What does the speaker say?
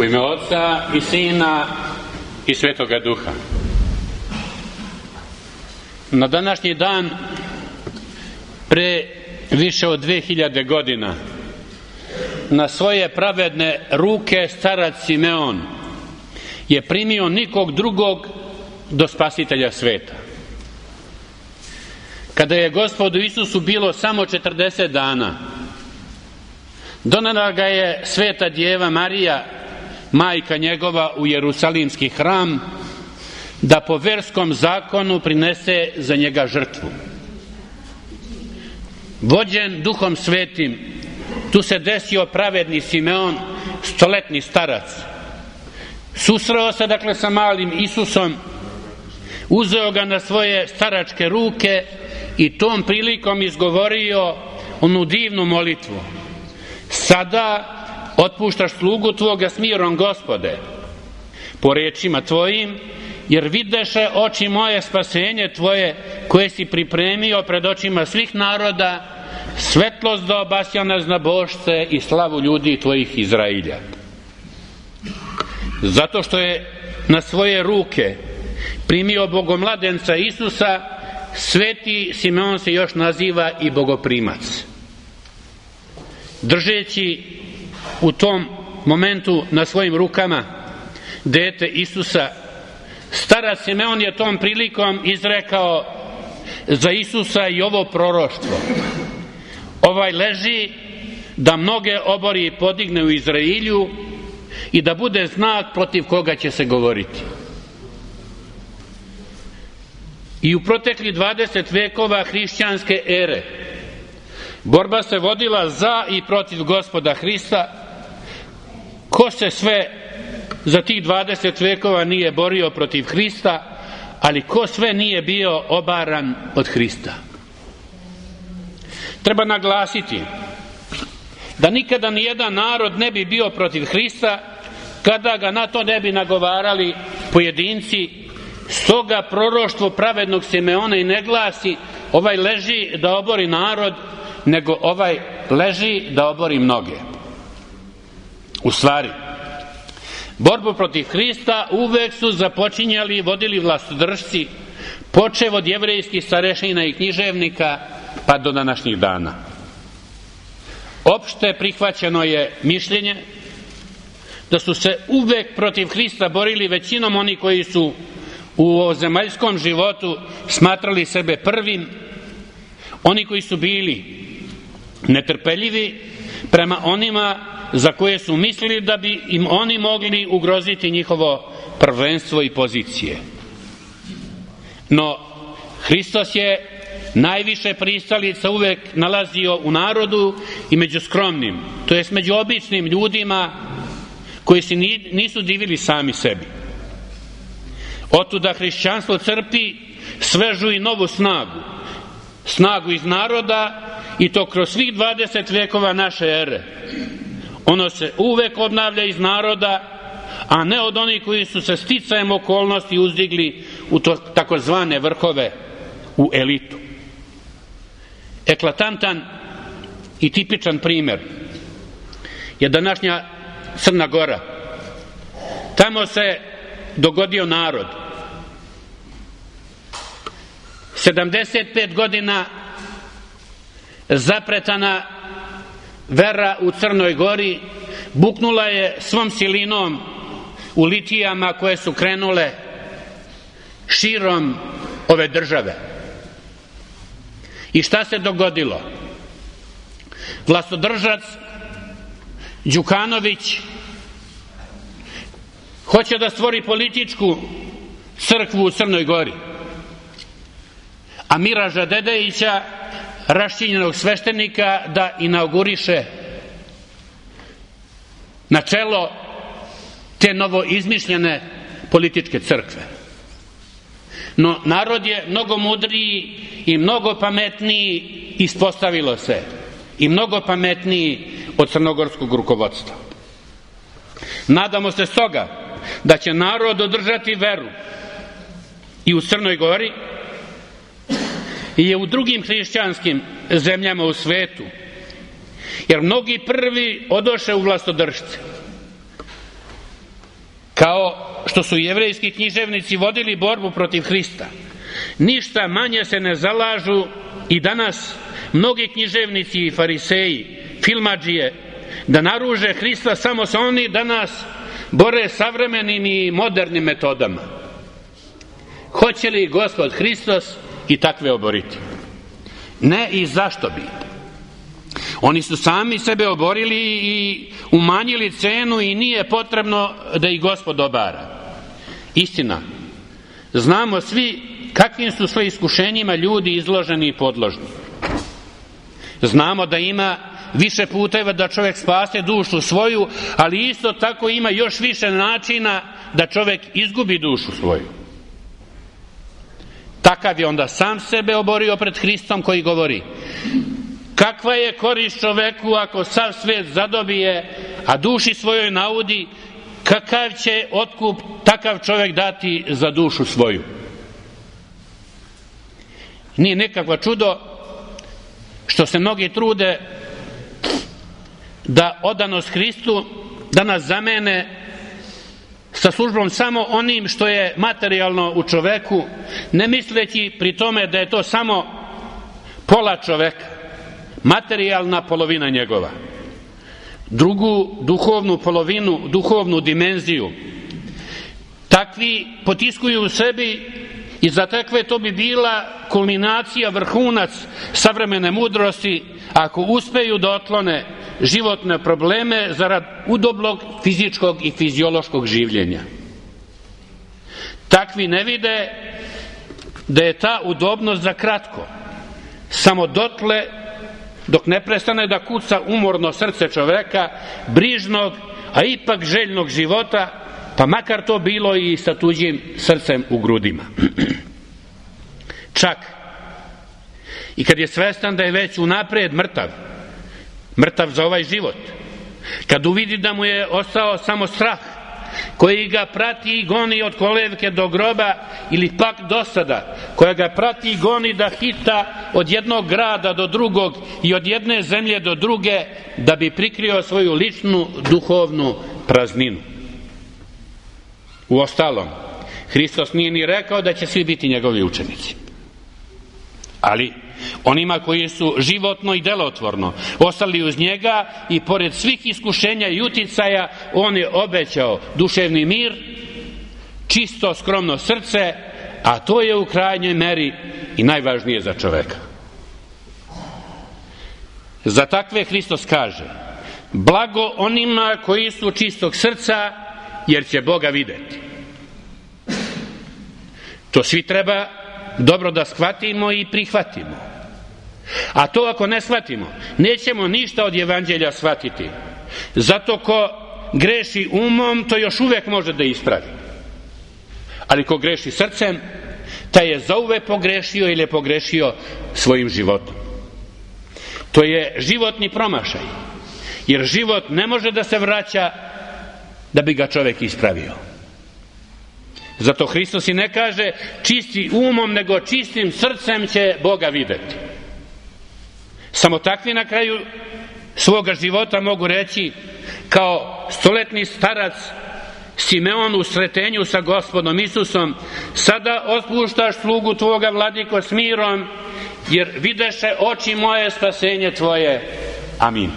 U ime Oca i Sina i Svetoga Duha. Na današnji dan, pre više od 2000 godina, na svoje pravedne ruke starac Simeon je primio nikog drugog do Spasitelja sveta. Kada je Gospodu Isusu bilo samo 40 dana, donela ga je sveta djeva Marija, majka njegova, u Jerusalimski hram, da po verskom zakonu prinese za njega žrtvu. Vođen Duhom Svetim, tu se desio pravedni Simeon, stoletni starac. Susreo se dakle sa malim Isusom, uzeo ga na svoje staračke ruke i tom prilikom izgovorio onu divnu molitvu: sada otpuštaš slugu tvoga s mirom, Gospode, po rečima tvojim, jer videše oči moje spasenje tvoje, koje si pripremio pred očima svih naroda, svetlost da obasja nas na božce i slavu ljudi tvojih Izrailja. Zato što je na svoje ruke primio bogomladenca Isusa, sveti Simeon se još naziva i bogoprimac. Držeći u tom momentu na svojim rukama dete Isusa, starac Simeon je tom prilikom izrekao za Isusa i ovo proroštvo: ovaj leži da mnoge obori i podigne u Izrailju i da bude znak protiv koga će se govoriti. I u protekli 20 vekova hrišćanske ere borba se vodila za i protiv Gospoda Hrista. Ko se sve za tih 20 vekova nije borio protiv Hrista, ali ko sve nije bio obaran od Hrista? Treba naglasiti da nikada nijedan narod ne bi bio protiv Hrista kada ga na to ne bi nagovarali pojedinci. Stoga proroštvo pravednog Simeona i ne glasi: ovaj leži da obori narod, nego ovaj leži da obori mnoge. U stvari, borbu protiv Hrista uvek su započinjali i vodili vlastodržci, počev od jevrejskih starešina i književnika pa do današnjih dana. Opšte prihvaćeno je mišljenje da su se uvek protiv Hrista borili većinom oni koji su u ovozemaljskom životu smatrali sebe prvim, oni koji su bili netrpeljivi prema onima za koje su mislili da bi im oni mogli ugroziti njihovo prvenstvo i pozicije. No, Hristos je najviše pristalica uvek nalazio u narodu i među skromnim, to jest među običnim ljudima koji se nisu divili sami sebi. Otuda hrišćanstvo crpi svežu i novu snagu iz naroda, i to kroz svih 20 vekova naše ere. Ono se uvek obnavlja iz naroda, a ne od onih koji su se sticajem okolnosti uzdigli u takozvane vrhove, u elitu. Eklatantan i tipičan primer je današnja Crna Gora. Tamo se dogodio narod. 75 godina zapretana vera u Crnoj Gori buknula je svom silinom u litijama koje su krenule širom ove države. I šta se dogodilo? Vlastodržac Đukanović hoće da stvori političku crkvu u Crnoj Gori, a Miraža Dedejića, raščinjenog sveštenika, da inauguriše na čelo te novo izmišljene političke crkve. No, narod je mnogo mudriji i mnogo pametniji, ispostavilo se, i mnogo pametniji od crnogorskog rukovodstva. Nadamo se stoga da će narod održati veru i u Crnoj Gori i u drugim hrišćanskim zemljama u svetu, jer mnogi prvi odoše u vlastodržce. kao što su jevrejski književnici vodili borbu protiv Hrista, ništa manje se ne zalažu i danas mnogi književnici i fariseji, filmadžije, da naruže Hrista, samo se oni danas bore savremenim i modernim metodama. Hoće li Gospod Hristos i takve oboriti? Ne, i zašto bi? Oni su sami sebe oborili i umanjili cenu i nije potrebno da ih Gospod obara. Istina, znamo svi kakvim su sve iskušenjima ljudi izloženi i podložni. Znamo da ima više puteva da čovjek spase dušu svoju, ali isto tako ima još više načina da čovjek izgubi dušu svoju. Takav je onda sam sebe oborio pred Hristom, koji govori: kakva je korist čoveku ako sav svet zadobije, a duši svojoj naudi, kakav će otkup takav čovjek dati za dušu svoju? Nije nekakvo čudo što se mnogi trude da odanost Hristu danas zamene sa službom samo onim što je materijalno u čoveku, ne misleći pri tome da je to samo pola čoveka, materijalna polovina njegova. Drugu duhovnu polovinu, duhovnu dimenziju, takvi potiskuju u sebi i za takve to bi bila kulminacija, vrhunac savremene mudrosti, ako uspeju da otklone životne probleme zarad udobnog fizičkog i fiziološkog življenja. Takvi ne vide da je ta udobnost za kratko, samo dotle dok ne prestane da kuca umorno srce čoveka, brižnog, a ipak željnog života, pa makar to bilo i sa tuđim srcem u grudima. Čak i kad je svestan da je već unapred mrtav za ovaj život, kad uvidi da mu je ostao samo strah koji ga prati i goni od kolevke do groba, ili pak dosada koja ga prati i goni da hita od jednog grada do drugog i od jedne zemlje do druge, da bi prikrio svoju ličnu duhovnu prazninu. Uostalom, Hristos nije ni rekao da će svi biti njegovi učenici. Ali onima koji su životno i delotvorno ostali uz njega i pored svih iskušenja i uticaja, on je obećao duševni mir, čisto skromno srce, a to je u krajnjoj meri i najvažnije za čoveka. Za takve Hristos kaže: blago onima koji su čistog srca, jer će Boga videti. To svi treba dobro da shvatimo i prihvatimo. A to ako ne shvatimo, nećemo ništa od evanđelja shvatiti. Zato ko greši umom, to još uvek može da ispravi. Ali ko greši srcem, taj je zauvek pogrešio ili je pogrešio svojim životom. To je životni promašaj, jer život ne može da se vraća da bi ga čovek ispravio. Zato Hristos i ne kaže čisti umom, nego čistim srcem će Boga videti. Samo takvi na kraju svoga života mogu reći, kao stoletni starac Simeon u sretenju sa Gospodom Isusom: sada otpuštaš slugu tvoga, vladiko, s mirom, jer videše oči moje spasenje tvoje. Amin.